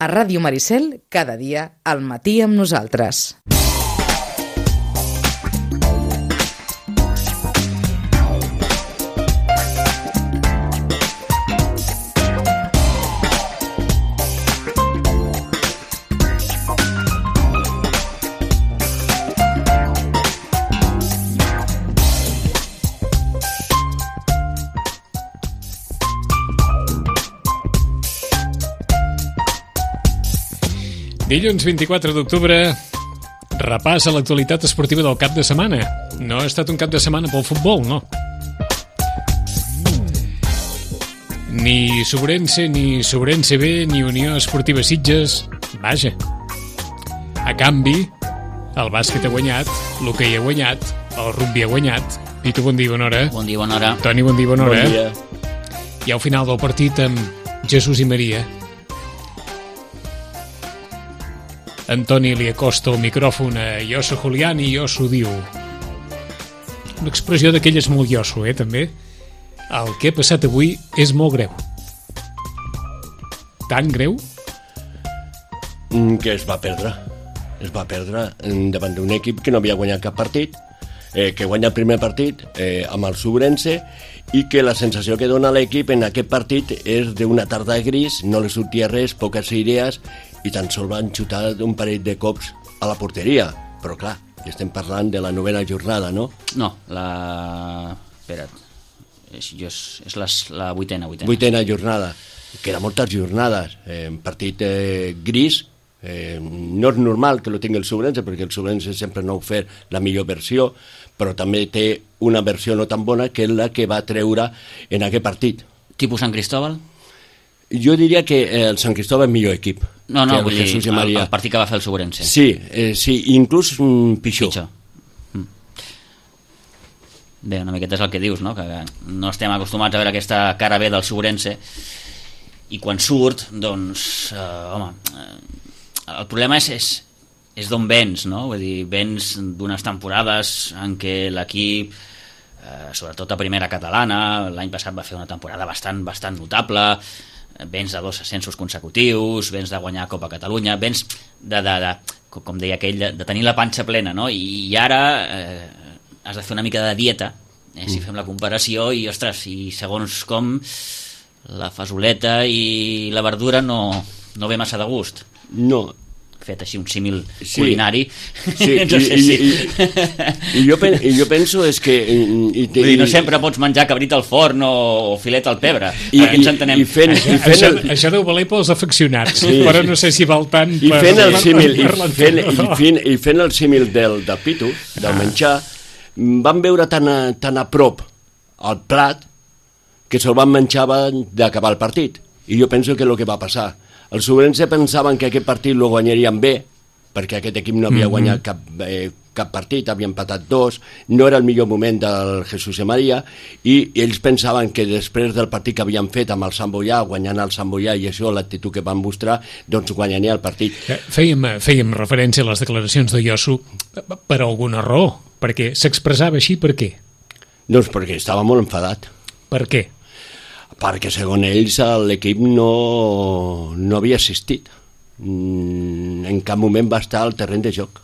A Ràdio Maricel, cada dia, al matí amb nosaltres. Dilluns 24 d'octubre, repàs a l'actualitat esportiva del cap de setmana. No ha estat un cap de setmana pel futbol, no. Ni Sobrense, ni Sobrense B, ni Unió Esportiva Sitges. Vaja. A canvi, el bàsquet ha guanyat, l'hoquei ha guanyat, el rugbi ha guanyat. Pitu, bon dia, bona hora. Bon dia, bona hora. Toni, bon dia, bona hora. Bon dia. I al final del partit amb Jesús i Maria. Antoni li acosta el micròfon a Josu Julián i Josu diu, una expressió d'aquelles molt Josu, també. El que ha passat avui és molt greu. Tan greu? Que es va perdre. Es va perdre davant d'un equip que no havia guanyat cap partit, que guanya el primer partit amb el Sobrense, i que la sensació que dona l'equip en aquest partit és d'una tarda gris, no li sortia res, poques idees, i tan sols van xutar un parell de cops a la porteria. Però clar, estem parlant de la 9ª jornada, no? No, espera't, és la 8ª. 8ª jornada, que era moltes jornades. Un partit gris, no és normal que lo tingui el Sobrense, perquè el Sobrense sempre no ha ofert la millor versió, però també té una versió no tan bona que és la que va treure en aquest partit. Tipus Sant Cristóbal? Jo diria que el Sant Cristóbal és millor equip. No, vull dir, el partit que va fer el Sobrense. Sí, inclús pitjor. Bé, una miqueta és el que dius, no? Que no estem acostumats a veure aquesta cara B del Sobrense, i quan surt, doncs, el problema és d'on vens, no? Vull dir, vens d'unes temporades en què l'equip, sobretot a primera catalana, l'any passat va fer una temporada bastant notable, vens de 2 ascensos consecutius, vens de guanyar Copa Catalunya, vens com deia aquell, de tenir la panxa plena, no? I ara has de fer una mica de dieta, si fem la comparació, i ostres, i segons com la fasoleta i la verdura no ve massa de gust. No. Fet així un símil culinari. Sí, no sé si... I jo penso és que... no sempre pots menjar cabrit al forn o filet al pebre. Perquè ens entenem. Això deu valer pels afeccionats, però no sé si val tant... I fent el símil del pitu, del menjar, van veure tan a prop el plat que se'l van menjar d'acabar el partit. I jo penso que és el que va passar. Els Sobrense pensaven que aquest partit lo guanyarien bé, perquè aquest equip no havia guanyat cap partit, havia empatat 2, no era el millor moment del Jesús i Maria, i ells pensaven que després del partit que havien fet amb el Sant Boià, guanyant el Sant Boià, i això, l'actitud que van mostrar, doncs guanyaria el partit. Fèiem referència a les declaracions de Josu per alguna raó, perquè s'expressava així per què? Doncs perquè estava molt enfadat. Per què? Perquè segons ells l'equip no havia assistit, en cap moment va estar al terreny de joc.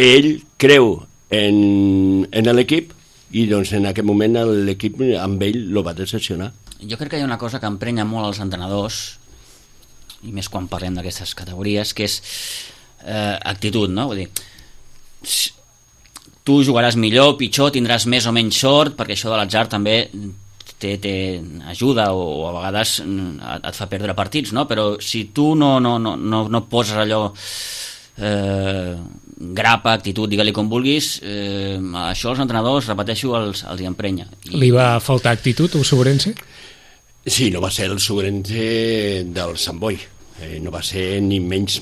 Ell creu en l'equip i doncs en aquest moment l'equip amb ell lo va decepcionar. Jo crec que hi ha una cosa que emprenya molt als entrenadors, i més quan parlem d'aquestes categories, que és actitud, no? Vull dir, tu jugaràs millor, pitjor, tindràs més o menys sort, perquè això de l'atzar també ajuda o a vegades et fa perdre partits, no? Però si tu no poses allò grapa, actitud, digue-li com vulguis, això els entrenadors, repeteixo, els hi emprenya. Li va faltar actitud al Sobrense? Sí, no va ser el Sobrense del Sant Boi. No va ser ni menys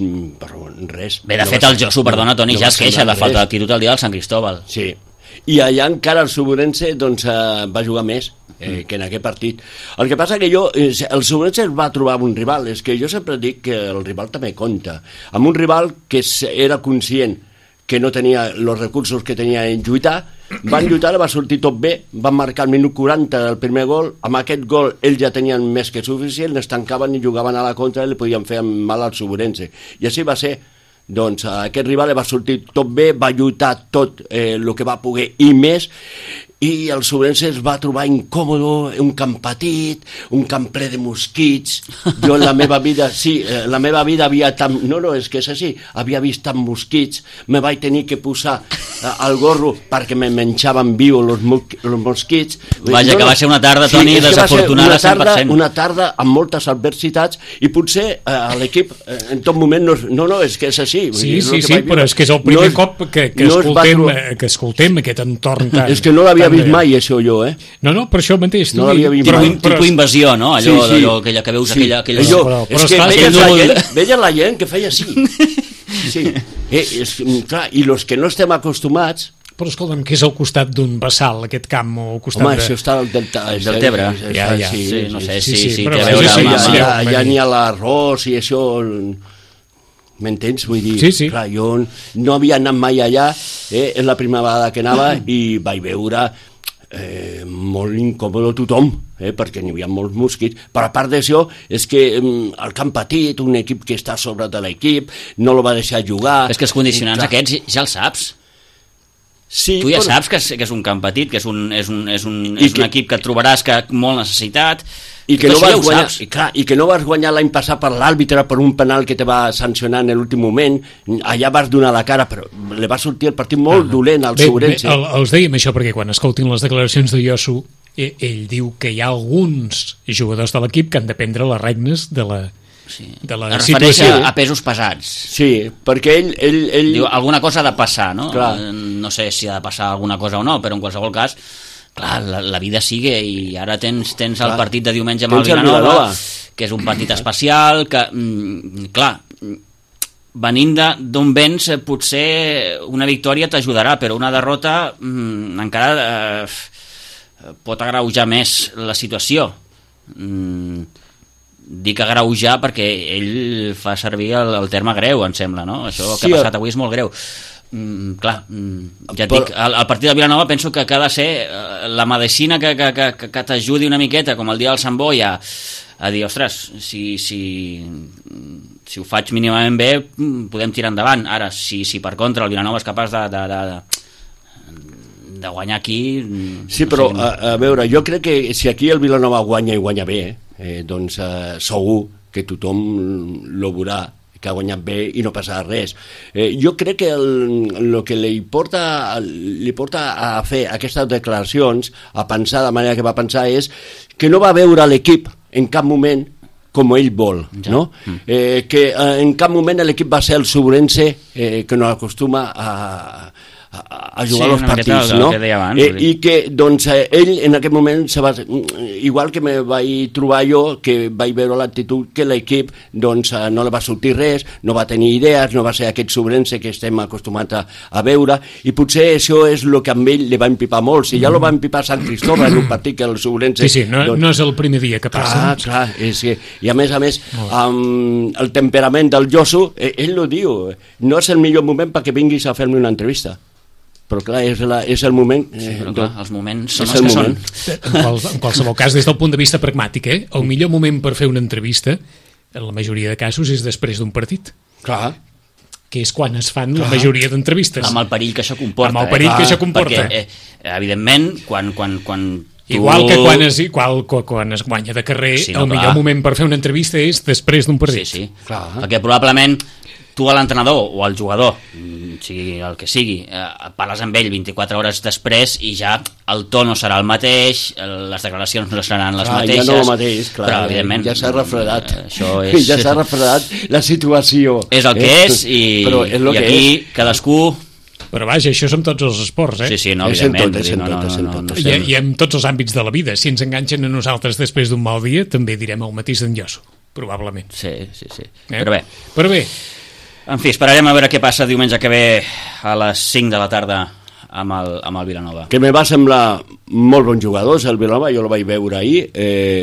res. Bé, de fet el Josu, perdona Toni, ja es queixa de falta d'actitud al dia del Sant Cristóbal. Sí, i allà encara el Sobrense doncs, va jugar més que en aquest partit. El que passa que el Sobrense va trobar un rival, és que jo sempre dic que el rival també compta, amb un rival que era conscient que no tenia els recursos que tenia en lluitar, van lluitar, va sortir tot bé, van marcar el minut 40 del primer gol, amb aquest gol ells ja tenien més que suficient, es tancaven i jugaven a la contra i li podien fer mal al Suburense. I així va ser. Doncs aquest rival va sortir tot bé, va lluitar tot el que va poder i més, i el Suburense es va trobar incòmodo, un camp petit, un camp ple de mosquits. Jo en la meva vida, la meva vida havia tant... No, és que és així, havia vist tant mosquits, me vaig tenir que posar el gorro perquè me menjaven viu els mosquits. Vaja, que va ser una tarda, Toni, desafortunada 100%. Una tarda amb moltes adversitats i potser l'equip en tot moment és que és així. Sí, però és que és el primer cop que escoltem aquest entorn tan... És que no l'havia vist mai, això, jo, No, per això mateix. No l'havia vist mai. Tipus invasió, no? Allò que veus aquella... És que veia la gent que feia així. Sí. Clar, i els que no estem acostumats... Però escolta'm, què és al costat d'un bassal, aquest camp, o al costat això està al Deltebre. Sí, no sé si té a veure amb... Ja n'hi ha l'arròs i això... M'entens? Vull dir, clar, jo no havia anat mai allà, és la primera vegada que anava i vaig veure molt incòmode tothom, perquè n'hi havia molts mosquits, però a part d'això és que el camp petit, un equip que està a sobre de l'equip, no el va deixar jugar... És que els condicionants aquests ja els saps. Sí, tu ja saps que és un camp petit, que és un equip que et trobaràs que molt necessitat, i que no vas guanyar l'any passat per l'àrbitre per un penal que te va sancionar en l'últim moment, allà vas donar la cara, però li va sortir el partit molt dolent al Suburense. Els dèiem això perquè quan escoltin les declaracions de Yosu, ell diu que hi ha alguns jugadors de l'equip que han de prendre les regnes de la situació. A pesos pesats. Sí, perquè ell... Diu, alguna cosa ha de passar, no? Clar. No sé si ha de passar alguna cosa o no, però en qualsevol cas, clar, la vida sigue, i ara tens el partit de diumenge amb el Vilanova, que és un partit especial, que, clar, venint d'on vens, potser una victòria t'ajudarà, però una derrota encara pot agreujar més la situació. Dic agreujar perquè ell fa servir el terme greu, em sembla, no? Això que ha passat avui és molt greu. Clar, ja et dic, el partit de Vilanova penso que ha de ser la medicina que t'ajudi una miqueta, com el dia del Sant Boi, a dir, ostres, si ho faig mínimament bé podem tirar endavant. Ara, si per contra el Vilanova és capaç de guanyar aquí... Sí, però a veure, jo crec que si aquí el Vilanova guanya i guanya bé, doncs segur que tothom lo veurà, que ha guanyat bé i no passarà res. Jo crec que el que li porta a fer aquestes declaracions, a pensar de manera que va pensar, és que no va veure l'equip en cap moment com ell vol, no? Que en cap moment l'equip va ser el Suburense que no acostuma a jugar als partits, no? I que, doncs, ell en aquest moment igual que me vaig trobar jo, que vaig veure l'actitud que l'equip, doncs, no li va sortir res, no va tenir idees, no va ser aquest Suburense que estem acostumats a veure, i potser això és el que amb ell li va empipar molt. Si ja lo va empipar Sant Cristóbal en un partit que el Suburense... Sí, no és el primer dia que passa. Clar, és que, i a més, amb el temperament del Yosu, ell ho diu, no és el millor moment perquè vinguis a fer-me una entrevista. Però clar, és el moment... Sí, però clar, els moments són els que són. En qualsevol cas, des del punt de vista pragmàtic, el millor moment per fer una entrevista, en la majoria de casos, és després d'un partit. Clar. Que és quan es fan la majoria d'entrevistes. Amb el perill que això comporta. Amb el perill que això comporta. Perquè, evidentment, quan igual que quan es guanya de carrer, el millor moment per fer una entrevista és després d'un partit. Sí. Perquè probablement tu a l'entrenador o al jugador, sigui el que sigui, parles amb ell 24 hores després i ja el to no serà el mateix, les declaracions no seran les mateixes. Ja no el mateix, clar, però evidentment ja s'ha refredat. Ja s'ha refredat la situació. És el que és i aquí cadascú... Però vaja, això és amb tots els esports, Sí, no, evidentment. I en tots els àmbits de la vida. Si ens enganxen a nosaltres després d'un mal dia, també direm el mateix d'en Yosu, probablement. Sí. Però bé. En fi, esperarem a veure què passa diumenge que ve a les 5 de la tarda amb el Vilanova. Que me va semblar molt bons jugadors, el Vilanova, jo el vaig veure ahir,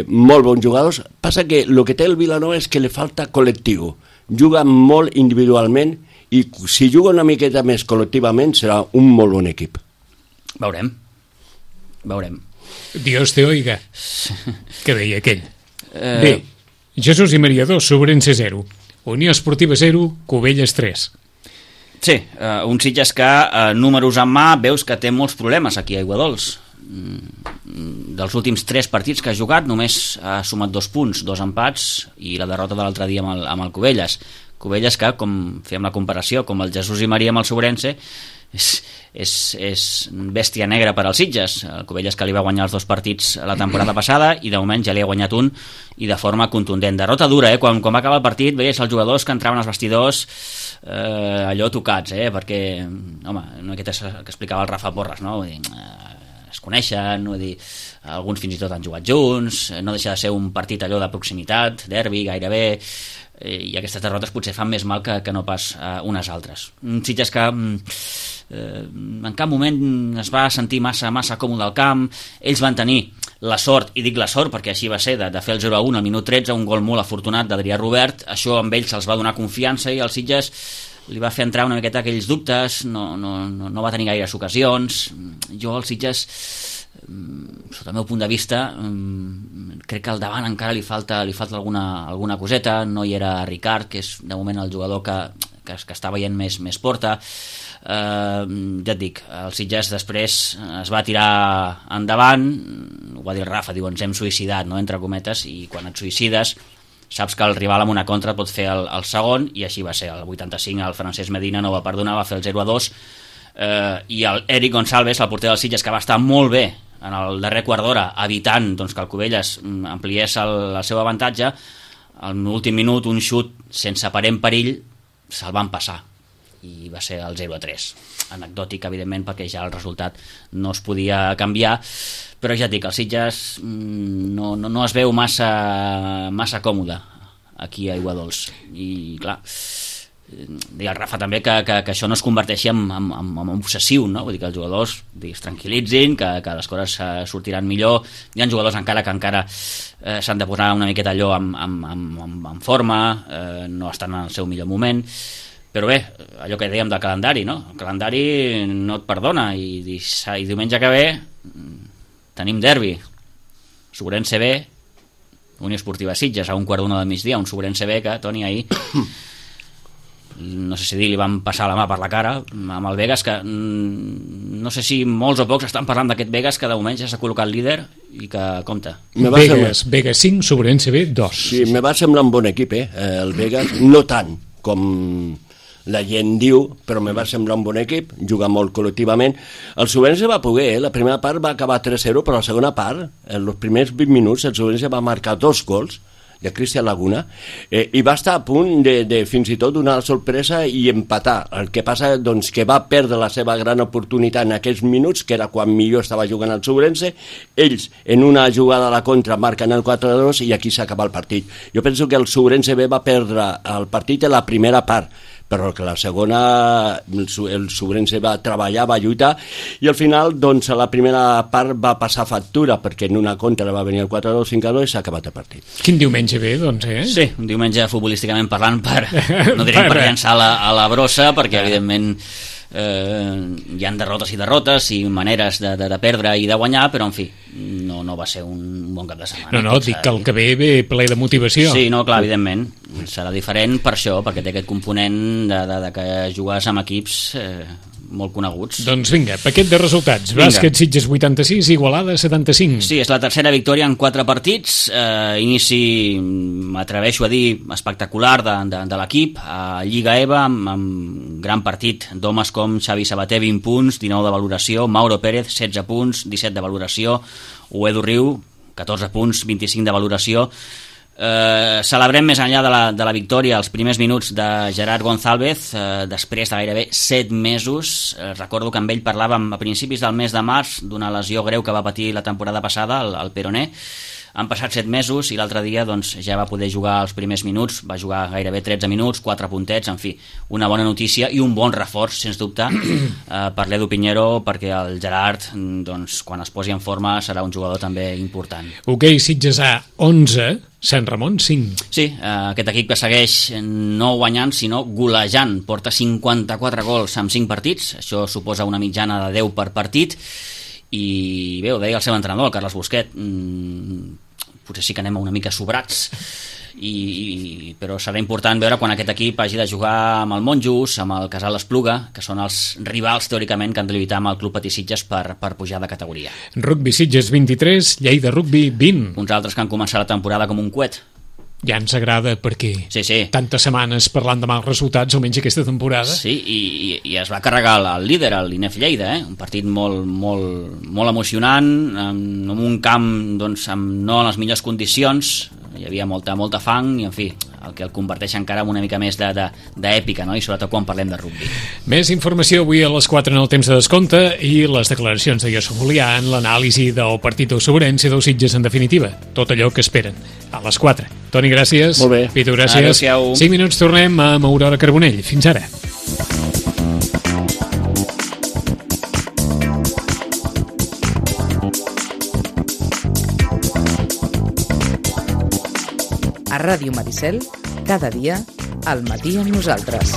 molt bons jugadors. Passa que el que té el Vilanova és que li falta col·lectiu. Juga molt individualment i si juga una miqueta més col·lectivament serà un molt bon equip. Veurem. Dios te oiga, que deia aquell. Bé, Jesús i Maria 2, Sobrense 0, Unió Esportiva 0, Cubelles 3. Sí, un Sitges que, números en mà, veus que té molts problemes aquí a Aiguadols. Dels últims 3 partits que ha jugat només ha sumat 2 punts, 2 empats i la derrota de l'altre dia amb el Cubelles que, com fèiem la comparació, com el Jesús i Maria amb el Sobrense, és bèstia negra per als Sitges. El Cubelles que li va guanyar els 2 partits la temporada passada i de moment ja li ha guanyat un i de forma contundent. Derrota dura, quan va acabar el partit veies els jugadors que entraven als vestidors allò tocats, perquè home, una miqueta que explicava el Rafa Porras, no? Vull dir, es coneixen, vull dir, alguns fins i tot han jugat junts, no deixa de ser un partit allò de proximitat, derbi gairebé, i aquestes derrotes potser fan més mal que no pas unes altres. Sitges que en cap moment es va sentir massa còmode al camp. Ells van tenir la sort, i dic la sort perquè així va ser, de fer el 0-1 al minut 13, un gol molt afortunat d'Adrià Robert. Això amb ells se'ls va donar confiança i el Sitges li va fer entrar una miqueta aquells dubtes, no va tenir gaires ocasions. Jo al Sitges, sota el meu punt de vista, crec que al davant encara li falta alguna coseta. No hi era Ricard, que és de moment el jugador que està veient més porta. Ja et dic, el Sitges després es va tirar endavant, ho va dir el Rafa, diu ens hem suïcidat, no? Entre cometes, i quan et suïcides saps que el rival amb una contra et pot fer el segon, i així va ser. El 85 el Francesc Medina no va perdonar, va fer el 0-2, i el Eric Gonçalves, el porter del Sitges, que va estar molt bé en el darrer quart d'hora, evitant que el Cubelles ampliés el seu avantatge, en l'últim minut un xut sense aparent perill se'l van passar i va ser el 0-3. Anecdòtic, evidentment, perquè ja el resultat no es podia canviar, però ja et dic, el Sitges no es veu massa còmode aquí a Aiguadols. I clar, deia el Rafa també que això no es converteixi en obsessiu, no? Vull dir que els jugadors es tranquil·litzin, que les coses sortiran millor. Hi ha jugadors encara s'han de posar una miqueta allò en forma, no estan en el seu millor moment. Però bé, allò que dèiem del calendari, no? El calendari no et perdona, i diumenge que ve tenim derbi. Sobrense B, Unió Esportiva Sitges, a 1:15 del migdia, un Sobrense B que, Toni, ahir no sé si li van passar la mà per la cara amb el Vegas, que no sé si molts o pocs estan parlant d'aquest Vegas, que de moment ja s'ha col·locat líder i que compta. Vegas 5, Sobrense B 2. Sí, me va semblar un bon equip, el Vegas, no tant com la gent diu, però me va semblar un bon equip, juga molt col·lectivament. El Sobrense va poder, la primera part va acabar 3-0, però la segona part, en els primers 20 minuts, el Sobrense va marcar 2 gols de Cristian Laguna, i va estar a punt de fins i tot donar la sorpresa i empatar. El que passa, doncs, que va perdre la seva gran oportunitat en aquests minuts, que era quan millor estava jugant el Sobrense. Ells, en una jugada a la contra, marquen el 4-2 i aquí s'acaba el partit. Jo penso que el Sobrense B va perdre el partit en la primera part, però que la segona el Sobrense va treballar, va lluitar, i al final, doncs, a la primera part va passar factura, perquè en una contra va venir el 4-2, 5-2 i s'ha acabat el partit. Quin diumenge ve, doncs, Sí, un diumenge futbolísticament parlant, no direm per llançar a la brossa, perquè evidentment hi ha derrotes i maneres de perdre i de guanyar, però en fi, no va ser un bon cap de setmana. No, dic que el que ve ple de motivació. Sí, no, clar, evidentment serà diferent per això, perquè té aquest component de que jugues amb equips molt coneguts. Doncs vinga, paquet de resultats. Bàsquet Sitges 86, Igualada 75. Sí, és la tercera victòria en 4 partits, inici, m'atreveixo a dir, espectacular de l'equip, a Lliga EVA, amb gran partit d'homes com Xavi Sabater, 20 punts, 19 de valoració, Mauro Pérez, 16 punts, 17 de valoració, Uedu Riu, 14 punts, 25 de valoració. Celebrem més enllà de la victòria els primers minuts de Gerard González, després de gairebé 7 mesos. Recordo que amb ell parlàvem a principis del mes de març d'una lesió greu que va patir la temporada passada, el peroné, Han passat 7 mesos i l'altre dia doncs, ja va poder jugar els primers minuts, va jugar gairebé 13 minuts, 4 puntets, en fi, una bona notícia i un bon reforç, sens dubte, per l'Edu Piñero, perquè el Gerard, doncs, quan es posi en forma, serà un jugador també important. Hoquei Sitges A 11, Sant Ramon 5. Sí, aquest equip que segueix no guanyant, sinó golejant. Porta 54 gols en 5 partits, això suposa una mitjana de 10 per partit, i bé, ho deia el seu entrenador, el Carles Busquet, potser sí que anem una mica sobrats, però serà important veure quan aquest equip hagi de jugar amb el Monjos, amb el Casal Espluga, que són els rivals teòricament que han de lluitar amb el Club Patí Sitges per pujar de categoria. Rugby Sitges 23, Lleida Rugby 20. Uns altres que han començat la temporada com un coet. Ja ens agrada perquè sí. tantes setmanes parlant de mals resultats, almenys aquesta temporada. Sí, i es va carregar el líder, l'Inef Lleida, un partit molt emocionant, en un camp doncs, no en les millors condicions, hi havia molta fang i en fi, el que el converteix encara en una mica més d'èpica, no? I sobretot quan parlem de rugby. Més informació avui a les 4 en el temps de descompte i les declaracions de Josu Julià en l'anàlisi del partit del Sobrense dels Sitges en definitiva, tot allò que esperen a les 4. Toni, gràcies. Molt bé. Pitu, gràcies. Adéu-siau. 5 minuts tornem amb Aurora Carbonell. Fins ara. A Ràdio Maricel, cada dia, al matí amb nosaltres.